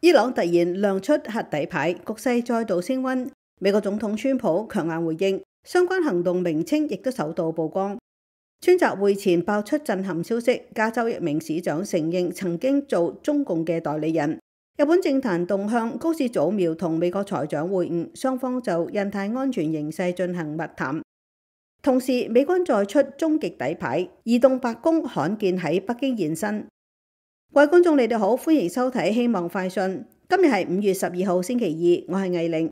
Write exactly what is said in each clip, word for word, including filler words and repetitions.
伊朗突然亮出核底牌，局勢再度升溫。美國總統川普強硬回應，相關行動名稱亦都首度曝光。川習會前爆出震撼消息，加州一名市長承認曾經做中共嘅代理人。日本政壇動向，高市早苗同美國財長會晤，雙方就印太安全形勢進行密談。同時，美軍再出終極底牌，移動白宮罕見喺北京現身。各位觀眾，你哋好，歡迎收睇《希望快訊》。今日係五月十二號星期二，我係藝玲。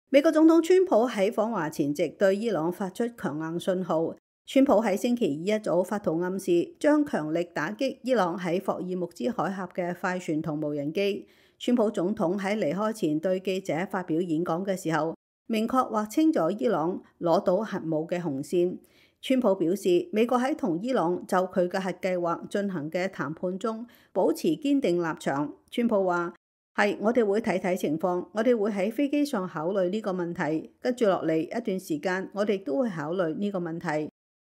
美國總統川普喺訪華前夕對伊朗發出強硬信號。川普喺星期二一早發圖暗示，將強力打擊伊朗喺霍爾木茲海峽嘅快船同無人機。川普總統喺離開前對記者發表演講嘅時候，明確劃清咗伊朗攞到核武嘅紅線。川普表示，美國喺同伊朗就佢嘅核計劃進行嘅談判中保持堅定立場。川普話：係，我哋會睇睇情況，我哋會喺飛機上考慮呢個問題。跟住落嚟一段時間，我哋都會考慮呢個問題。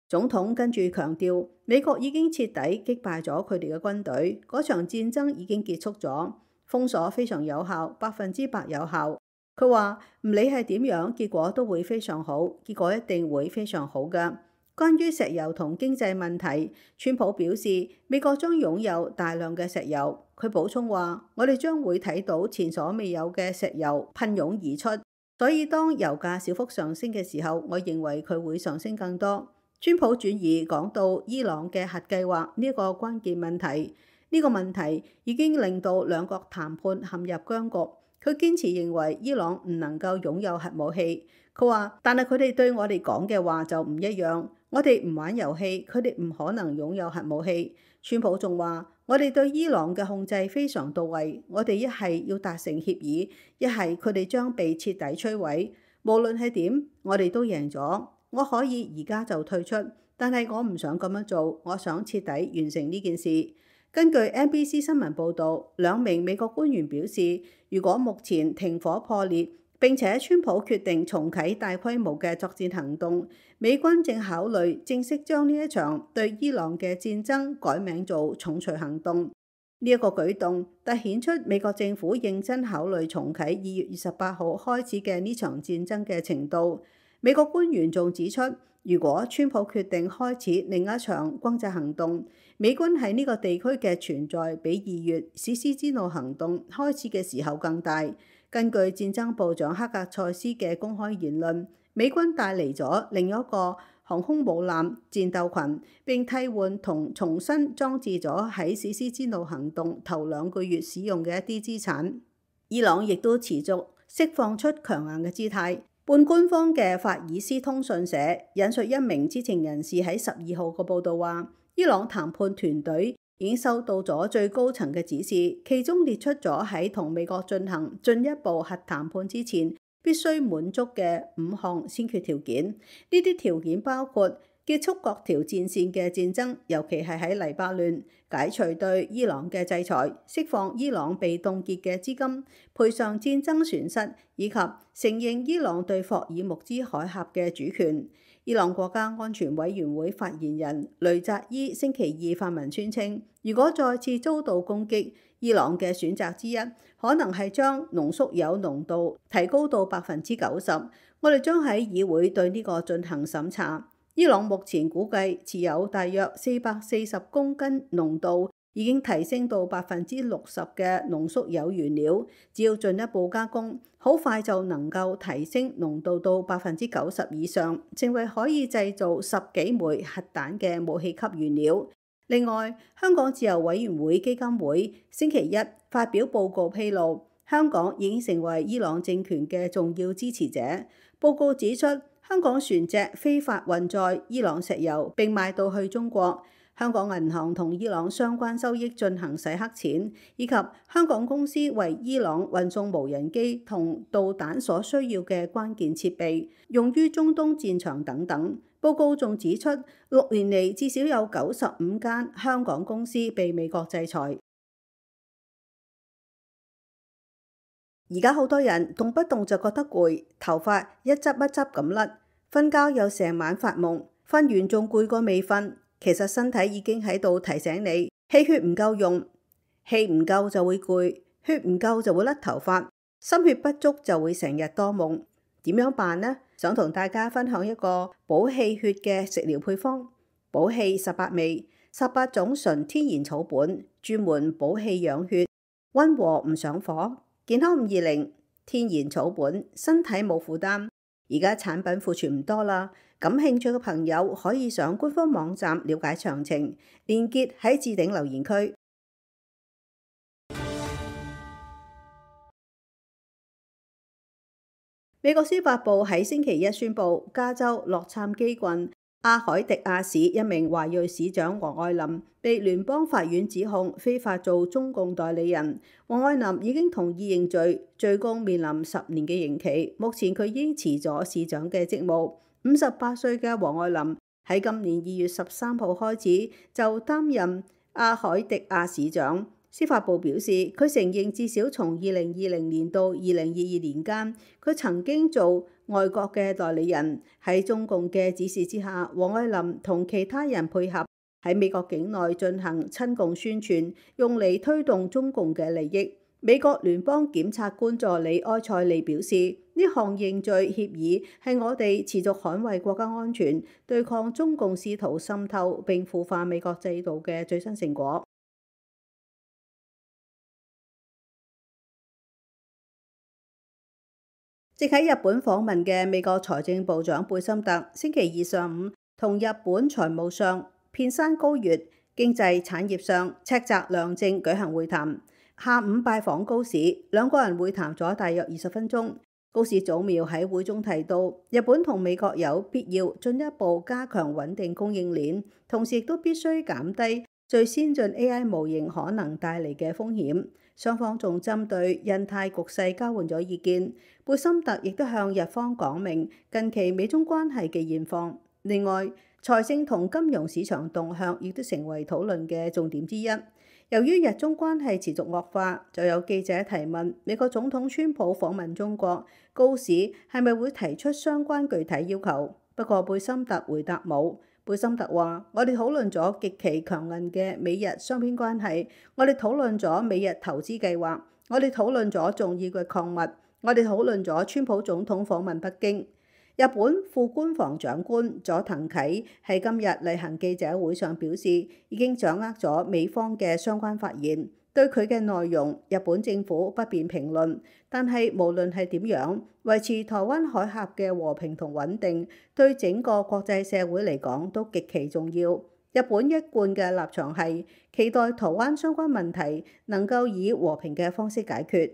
總統跟住強調，美國已經徹底擊敗咗佢哋嘅軍隊，嗰場戰爭已經結束咗，封鎖非常有效，百分之百有效。佢話唔理係點樣，結果都會非常好，結果一定會非常好㗎。關於石油同經濟問題，川普表示美國將擁有大量嘅石油。佢補充話：我哋將會睇到前所未有嘅石油噴湧而出，所以當油價小幅上升嘅時候，我認為佢會上升更多。川普轉移講到伊朗嘅核計劃呢一個關鍵問題，呢個問題已經令到兩國談判陷入僵局。佢堅持認為伊朗唔能夠擁有核武器。佢話：但係佢哋對我哋講嘅話就唔一樣，我哋唔玩遊戲，佢哋唔可能擁有核武器。川普仲話：我哋對伊朗嘅控制非常到位，我哋一係要達成協議，一係佢哋將被徹底摧毀。無論係點，我哋都贏咗。我可以而家就退出，但係我唔想咁樣做，我想徹底完成呢件事。根據 N B C 新聞報導，兩名美國官員表示，如果目前停火破裂，並且川普決定重啟大規模嘅作戰行動，美軍正考慮正式將呢一場對伊朗嘅戰爭改名做重錘行動。呢一個舉動凸顯出美國政府認真考慮重啟二月二十八號開始嘅呢場戰爭嘅程度。美國官員仲指出，如果川普決定開始另一場轟炸行動，美軍喺呢個地區嘅存在比二月史詩之怒行動開始嘅時候更大。根據戰爭部長克格塞斯嘅公開言論，美軍帶嚟咗另一個航空母艦戰鬥群，並替換同重新裝置咗喺史詩之怒行動頭兩個月使用嘅一啲資產。伊朗亦都持續釋放出強硬嘅姿態。半官方嘅法爾斯通訊社引述一名知情人士喺十二號嘅報導話，伊朗談判團隊已經收到咗最高層嘅指示，其中列出咗喺同美國進行進一步核談判之前必須滿足嘅五項先決條件。呢啲條件包括結束各條戰線嘅戰爭，尤其係喺黎巴嫩，解除對伊朗嘅制裁，釋放伊朗被凍結嘅資金，賠償戰爭損失，以及承認伊朗對霍爾木茲海峽嘅主權。伊朗國家安全委員會發言人雷扎伊星期二發文宣稱，如果再次遭到攻擊，伊朗嘅選擇之一可能係將濃縮鈾濃度提高到百分之九十。我哋將喺議會對呢個進行審查。伊朗目前估計持有大約四百四十公斤濃度已經提升到百分之六十嘅濃縮鈾原料，只要進一步加工，好快就能夠提升濃度到百分之九十以上，成為可以製造十幾枚核彈嘅武器級原料。另外，香港自由委員會基金會星期一發表報告披露，香港已經成為伊朗政權嘅重要支持者。報告指出，香港船隻非法運載伊朗石油並賣到去中國，香港銀行同伊朗相關收益進行洗黑錢，以及香港公司為伊朗運送無人機同導彈所需要嘅關鍵設備，用於中東戰場等等。報告仲指出，六年嚟至少有九十五間香港公司被美國制裁。而家好多人動不動就覺得攰，頭髮一執一執咁甩。瞓覺又成晚發夢，瞓完仲攰過未瞓。其實身體已經喺度提醒你，氣血唔夠用，氣唔夠就會攰，血唔夠就會甩頭髮，心血不足就會成日多夢。點樣辦呢？想同大家分享一個補氣血嘅食療配方。補氣十八味，十八種純天然草本，專門補氣養血，溫和唔上火，健康五二零，天然草本，身體冇負擔。而家產品庫存唔多啦，感興趣嘅朋友可以上官方網站了解詳情，連結喺置頂留言區。美國司法部喺星期一宣布，加州洛杉磯郡阿海迪亞市一名華裔市長黃愛林被聯邦法院指控非法做中共代理人。黃愛林已經同意認罪，最高面臨十年嘅刑期。目前佢已經辭咗市長嘅職務。五十八歲嘅黃愛林喺今年二月十三號開始就擔任阿海迪亞市長。司法部表示，佢承認至少從二零二零年到二零二二年間，佢曾經做外國嘅代理人。喺中共嘅指示之下，黃愛林同其他人配合喺美國境內進行親共宣傳，用嚟推動中共嘅利益。美國聯邦檢察官助理埃塞利表示，呢項認罪協議係我哋持續捍衛國家安全、對抗中共試圖滲透並腐化美國制度嘅最新成果。正喺日本訪問嘅美國財政部長貝森特，星期二上午同日本財務相片山高月、經濟產業相赤澤良正舉行會談。下午拜訪高市，兩個人會談咗大約二十分鐘。高市早苗喺會中提到，日本同美國有必要進一步加強穩定供應鏈，同時亦都必須減低最先進 A I 模型可能帶嚟嘅風險。雙方仲針對印太局勢交換咗意見。貝森特亦都向日方講明近期美中關係嘅現況。另外，財政同金融市場動向亦都成為討論嘅重點之一。由於日中關係持續惡化，就有記者提問美國總統川普訪問中國，高市係咪會提出相關具體要求？不過貝森特回答冇。貝森特話：我哋討論咗極其強硬嘅美日雙邊關係，我哋討論咗美日投資計劃，我哋討論咗重要嘅礦物，我哋討論咗川普總統訪問北京。日本副官房長官佐藤啓喺今日例行記者會上表示，已經掌握咗美方嘅相關發言，對佢嘅內容，日本政府不便評論。但係無論係點樣，維持台灣海峽嘅和平同穩定，對整個國際社會嚟講都極其重要。日本一貫嘅立場係期待台灣相關問題能夠以和平嘅方式解決。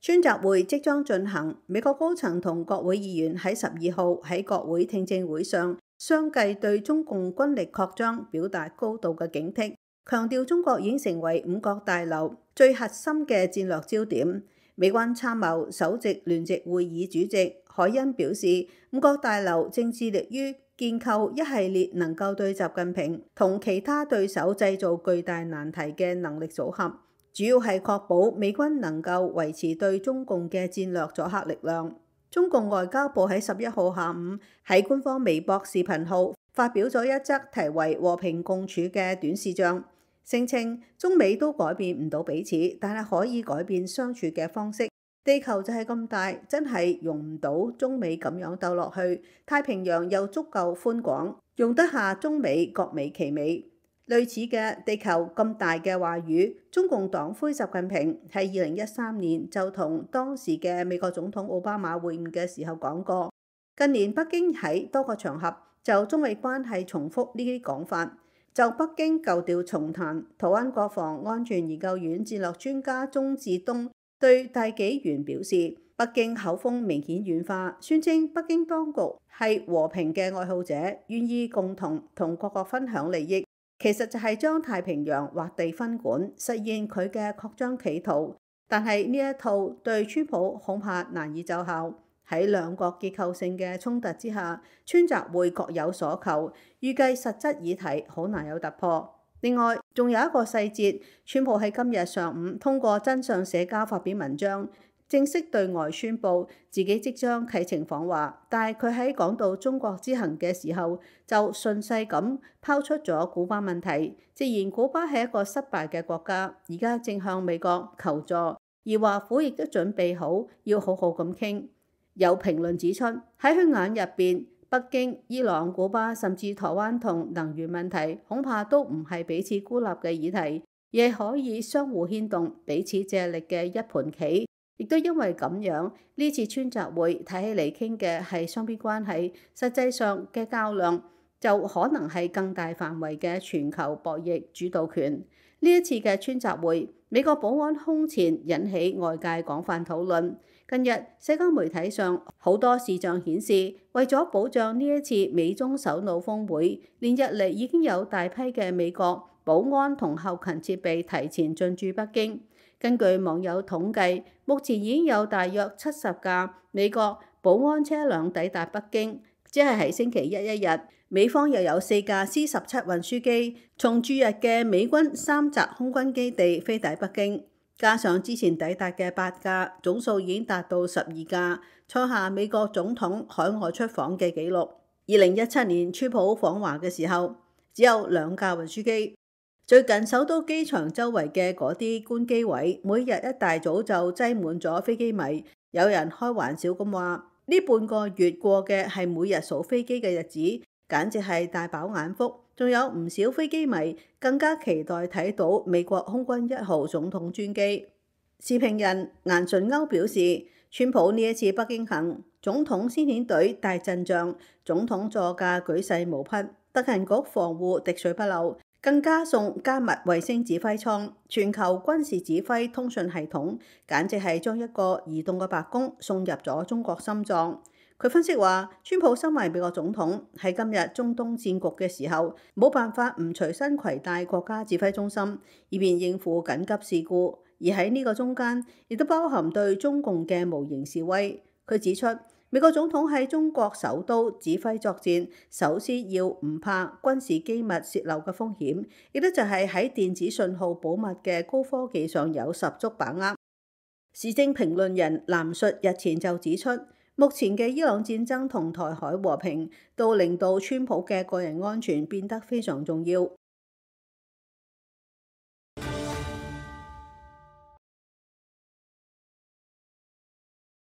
川習會即將進行，美國高層同國會議員喺十二號喺國會聽證會上相繼對中共軍力擴張表達高度嘅警惕，強調中國已經成為五角大樓最核心嘅戰略焦點。美軍參謀首席聯席會議主席海恩表示，五角大樓正致力於建構一系列能夠對習近平同其他對手製造巨大難題嘅能力組合。主要係確保美軍能夠維持對中共嘅戰略阻嚇力量。中共外交部喺十一號下午喺官方微博視頻號發表咗一則題為《和平共處》嘅短視像，聲稱中美都改變唔到彼此，但係可以改變相處嘅方式。地球就係咁大，真係容唔到中美咁樣鬥落去。太平洋又足夠寬廣，容得下中美各美其美。類似嘅地球咁大嘅話語，中共黨魁習近平喺二零一三年就同當時嘅美國總統奧巴馬會晤嘅時候講過。近年北京喺多個場合就中美關係重複呢啲講法。就北京舊調重彈，台灣國防安全研究院戰略專家鍾志東對大紀元表示，北京口風明顯軟化，宣稱北京當局係和平嘅愛好者，願意共同同各國分享利益。其實就係將太平洋劃地分管，實現佢嘅擴張企圖。但係呢一套對川普恐怕難以奏效。喺兩國結構性嘅衝突之下，川習會各有所求，預計實質議題好難有突破。另外，仲有一個細節，川普喺今日上午通過真相社交發表文章，正式對外宣布自己即將啟程訪華，但係佢喺講到中國之行嘅時候，就順勢咁拋出咗古巴問題，直言古巴係一個失敗嘅國家，而家正向美國求助，而華府亦都準備好要好好咁傾。有評論指出，喺佢眼入邊，北京、伊朗、古巴甚至台灣同能源問題，恐怕都唔係彼此孤立嘅議題，而係可以相互牽動、彼此借力嘅一盤棋。亦都因為咁樣，呢次川習會睇起嚟傾嘅係雙邊關係，實際上嘅較量就可能係更大範圍嘅全球博弈主導權。呢一次嘅川習會，美國保安空前引起外界廣泛討論。近日社交媒體上好多視像顯示，為咗保障呢一次美中首腦峰會，連日嚟已經有大批嘅美國保安同後勤設備提前進駐北京。根據網友統計，目前已經有大約七十架美國保安車輛抵達北京，即係喺星期一一日。美方又有四架 C 十七運輸機從駐日嘅美軍三澤空軍基地飛抵北京，加上之前抵達嘅八架，總數已經達到十二架，創下美國總統海外出訪嘅紀錄。二零一七年川普訪華嘅時候，只有兩架運輸機。最近首都機場周圍嘅嗰啲關機位，每日一大早就擠滿咗飛機迷。有人開玩笑咁話：呢半個月過嘅係每日數飛機嘅日子，簡直係大飽眼福。仲有唔少飛機迷更加期待睇到美國空軍一號總統專機。時評人顏純鈎表示，川普呢一次北京行，總統先遣隊大陣仗，總統座駕舉世無匹，特勤局防護滴水不漏。更加送加密衛星指揮艙、全球軍事指揮通訊系統，簡直係將一個移動嘅白宮送入咗中國心臟。佢分析話，川普身為美國總統，喺今日中東戰局嘅時候，冇辦法唔隨身攜帶國家指揮中心，以便應付緊急事故。而喺呢個中間，亦都包含對中共嘅無形示威。佢指出，美國總統喺中國首都指揮作戰，首先要唔怕軍事機密洩漏嘅風險，亦都就係喺電子信號保密嘅高科技上有十足把握。時政評論人藍述日前就指出，目前嘅伊朗戰爭同台海和平，都令到川普嘅個人安全變得非常重要。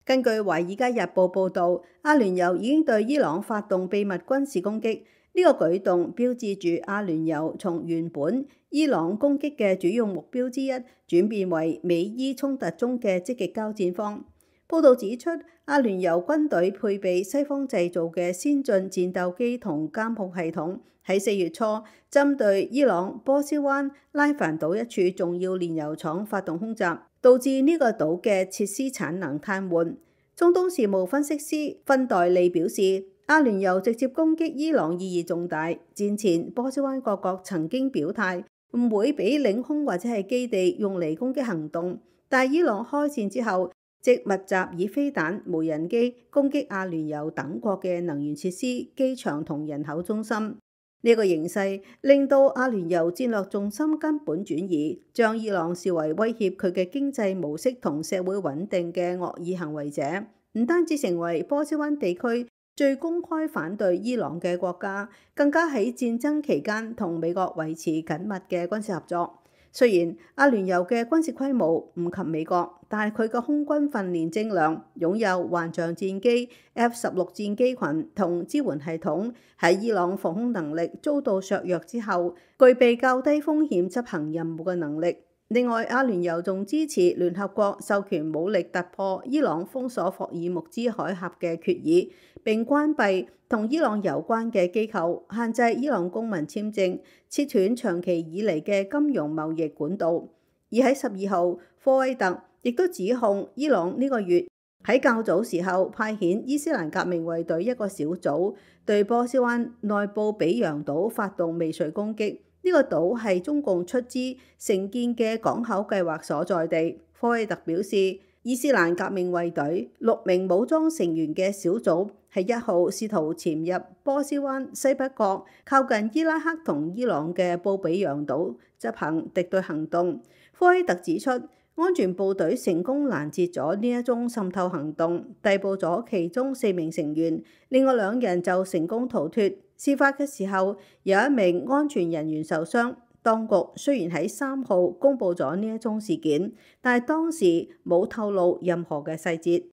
根據《華爾街日報》報導，阿聯酋已經對伊朗發動秘密軍事攻擊，呢、這個舉動標誌住阿聯酋從原本伊朗攻擊嘅主要目標之一，轉變為美伊衝突中嘅積極交戰方。報導指出，阿聯酋軍隊配備西方製造嘅先進戰鬥機同監控系統，喺四月初針對伊朗波斯灣拉凡島一處重要煉油廠發動空襲，導致呢個島嘅設施產能癱瘓。中東事務分析師芬代利表示，阿聯酋直接攻擊伊朗意義重大。戰前波斯灣各國曾經表態唔會俾領空或者係基地用嚟攻擊行動，但伊朗開戰之後，即密集以飛彈、無人機攻擊阿聯酋等國嘅能源設施、機場同人口中心。呢、這個形勢令到阿聯酋戰略重心根本轉移，將伊朗視為威脅佢嘅經濟模式同社會穩定嘅惡意行為者，唔單止成為波斯灣地區最公開反對伊朗嘅國家，更加喺戰爭期間同美國維持緊密嘅軍事合作。雖然阿聯酋嘅軍事規模唔及美國，但係佢嘅空軍訓練精良，擁有幻象戰機、F 十六戰機群同支援系統，喺伊朗防空能力遭到削弱之後，具備較低風險執行任務嘅能力。另外，阿聯酋仲支持聯合國授權武力突破伊朗封鎖霍爾木茲海峽嘅決議，並關閉同伊朗有關嘅機構，限制伊朗公民簽證，切斷長期以嚟嘅金融貿易管道。而喺十二號，科威特亦都指控伊朗呢個月喺較早時候派遣伊斯蘭革命衛隊一個小組對波斯灣內部比揚島發動未遂攻擊。呢個島係中共出資承建嘅港口計劃所在地。科威特表示，伊斯蘭革命衛隊六名武裝成員嘅小組喺一號試圖潛入波斯灣西北角靠近伊拉克同伊朗嘅布比揚島執行敵對行動。科威特指出，安全部隊成功攔截咗呢一宗滲透行動，逮捕咗其中四名成員，另外兩人就成功逃脫。事發嘅時候，有一名安全人員受傷。當局雖然喺三號公佈咗呢一宗事件，但係當時冇透露任何嘅細節。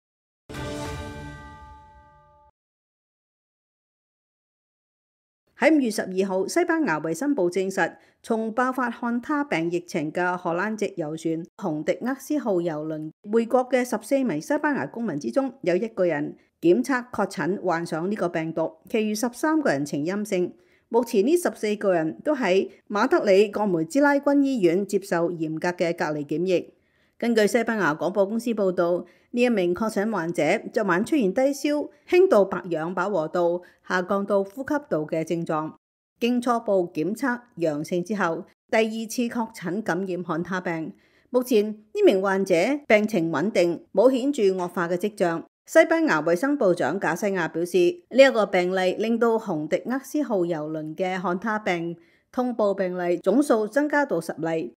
喺五月十二號，西班牙衛生部證實，從爆發漢他病疫情嘅荷蘭籍遊船洪迪厄斯號郵輪回國嘅十四名西班牙公民之中，有一個人檢測確診患上呢個病毒，其餘十三個人呈陰性。目前呢十四個人都喺馬德里葛梅茲拉軍醫院接受嚴格嘅隔離檢疫。根據西班牙廣播公司報導，呢一名確診患者昨晚出現低燒、輕度白氧飽和度下降到呼吸道嘅症狀，經初步檢測陽性之後，第二次確診感染漢他病。目前呢名患者病情穩定，冇顯著惡化嘅跡象。西班牙衛生部長賈西亞表示，呢、這、一個病例令到洪迪厄斯號郵輪嘅漢他病通報病例總數增加到十例。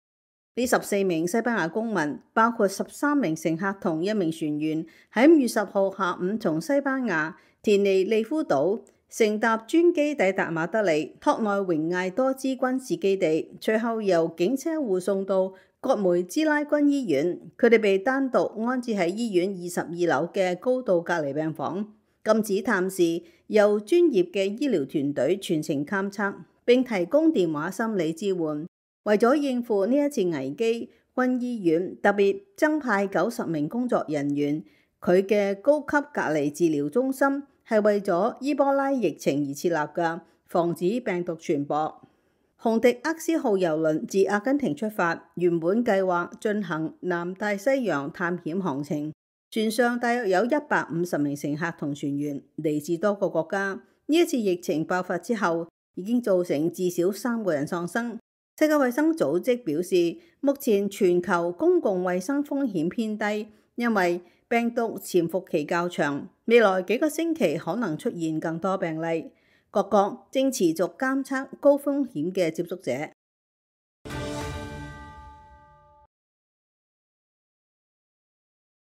呢十四名西班牙公民，包括十三名乘客同一名船員，喺五月十號下午從西班牙田尼利夫島乘搭專機抵達馬德里托內榮艾多茲軍事基地，隨後由警車護送到葛梅茲拉軍醫院。佢哋被單獨安置喺醫院二十二樓嘅高度隔離病房，禁止探視，由專業嘅醫療團隊全程監測，並提供電話心理支援。為咗應付呢一次危機，軍醫院特別增派九十名工作人員。佢嘅高級隔離治療中心係為咗伊波拉疫情而設立嘅，防止病毒傳播。洪迪厄斯號郵輪自阿根廷出發，原本計劃進行南大西洋探險航程，船上大約有一百五十名乘客同船員，嚟自多個國家。呢一次疫情爆發之後，已經造成至少三個人喪生。世界衛生組織表示，目前全球公共衛生風險偏低，因為病毒潛伏期較長，未來幾個星期可能出現更多病例。各國正持續監測高風險嘅接觸者。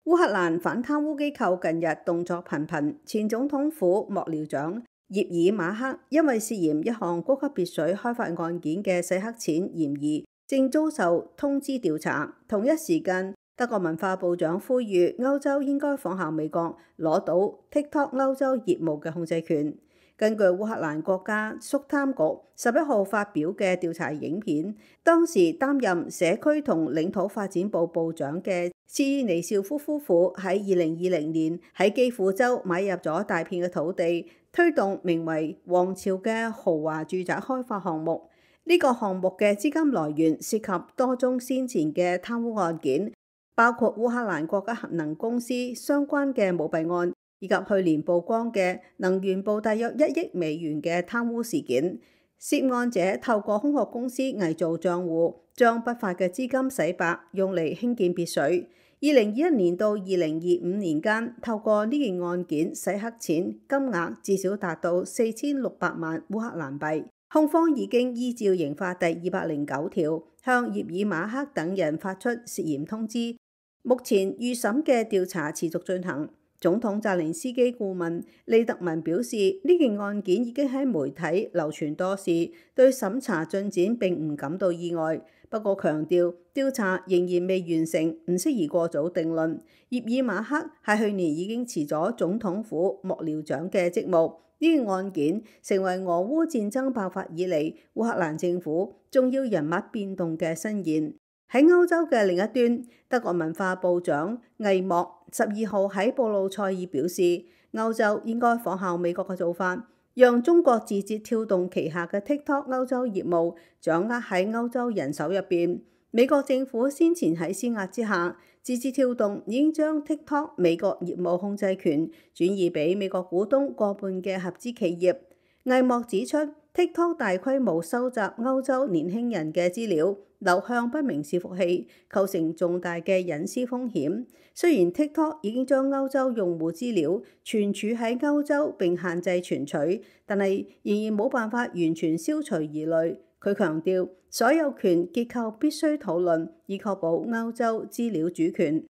烏克蘭反貪污機構近日動作頻頻，前總統府幕僚長葉爾馬克因為涉嫌一項高級別墅開發案件嘅洗黑錢嫌疑，正遭受通知調查。同一時間，德國文化部長呼籲歐洲應該仿效美國，攞到 TikTok 歐洲業務嘅控制權。根據烏克蘭國家肅貪局十一號發表嘅調查影片，當時擔任社區同領土發展部部長嘅斯尼紹夫夫婦喺二零二零年喺基輔州買入咗大片嘅土地，推動名為王朝嘅豪華住宅開發項目。呢、這個項目嘅資金來源涉及多宗先前嘅貪污案件，包括烏克蘭國家核能公司相關嘅舞弊案，以及去年曝光嘅能源部大約一億美元嘅貪污事件。涉案者透過空殼公司偽造賬戶，將不法嘅資金洗白，用嚟興建別墅。二零二一年到二零二五年間，透過呢件案件洗黑錢金額至少達到四千六百萬烏克蘭幣。控方已經依照刑法第二百零九條向葉爾馬克等人發出涉嫌通知。目前預審嘅調查持續進行。總統澤連斯基顧問利特文表示，呢件案件已經喺媒體流傳多時，對審查進展並唔感到意外。不過強調調查仍然未完成，唔適宜過早定論。葉爾馬克喺去年已經辭咗總統府幕僚長嘅職務。呢件案件成為俄烏戰爭爆發以嚟烏克蘭政府重要人物變動嘅新言。喺歐洲嘅另一端，德國文化部長魏莫十二號喺布魯塞爾表示，歐洲應該仿效美國嘅做法，讓中國字節跳動旗下嘅 TikTok 歐洲業務掌握喺歐洲人手入邊。美國政府先前喺施壓之下，字節跳動已經將 TikTok 美國業務控制權轉移俾美國股東過半嘅合資企業。魏莫指出，TikTok 大規模收集歐洲年輕人嘅資料，流向不明伺服器，構成重大嘅隱私風險。雖然 TikTok 已經將歐洲用戶資料存儲喺歐洲並限制存取，但係仍然冇辦法完全消除疑慮。佢強調，所有權結構必須討論，以確保歐洲資料主權。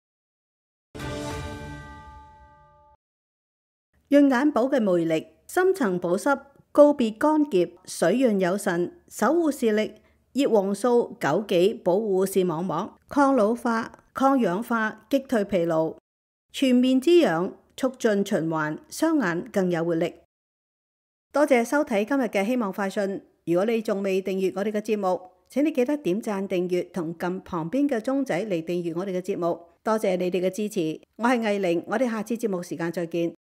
潤眼寶嘅魅力，深層保濕，告別乾澀，水潤有神，守護視力。葉黃素枸杞保護視網膜，抗老化、抗氧化，擊退疲勞，全面滋養，促進循環，雙眼更有活力。多謝收睇今日嘅希望快訊。如果你仲未訂閱我哋嘅節目，請你記得點讚訂閱同撳旁邊嘅鐘仔嚟訂閱我哋嘅節目。多謝你哋嘅支持，我係藝玲，我哋下次節目時間再見。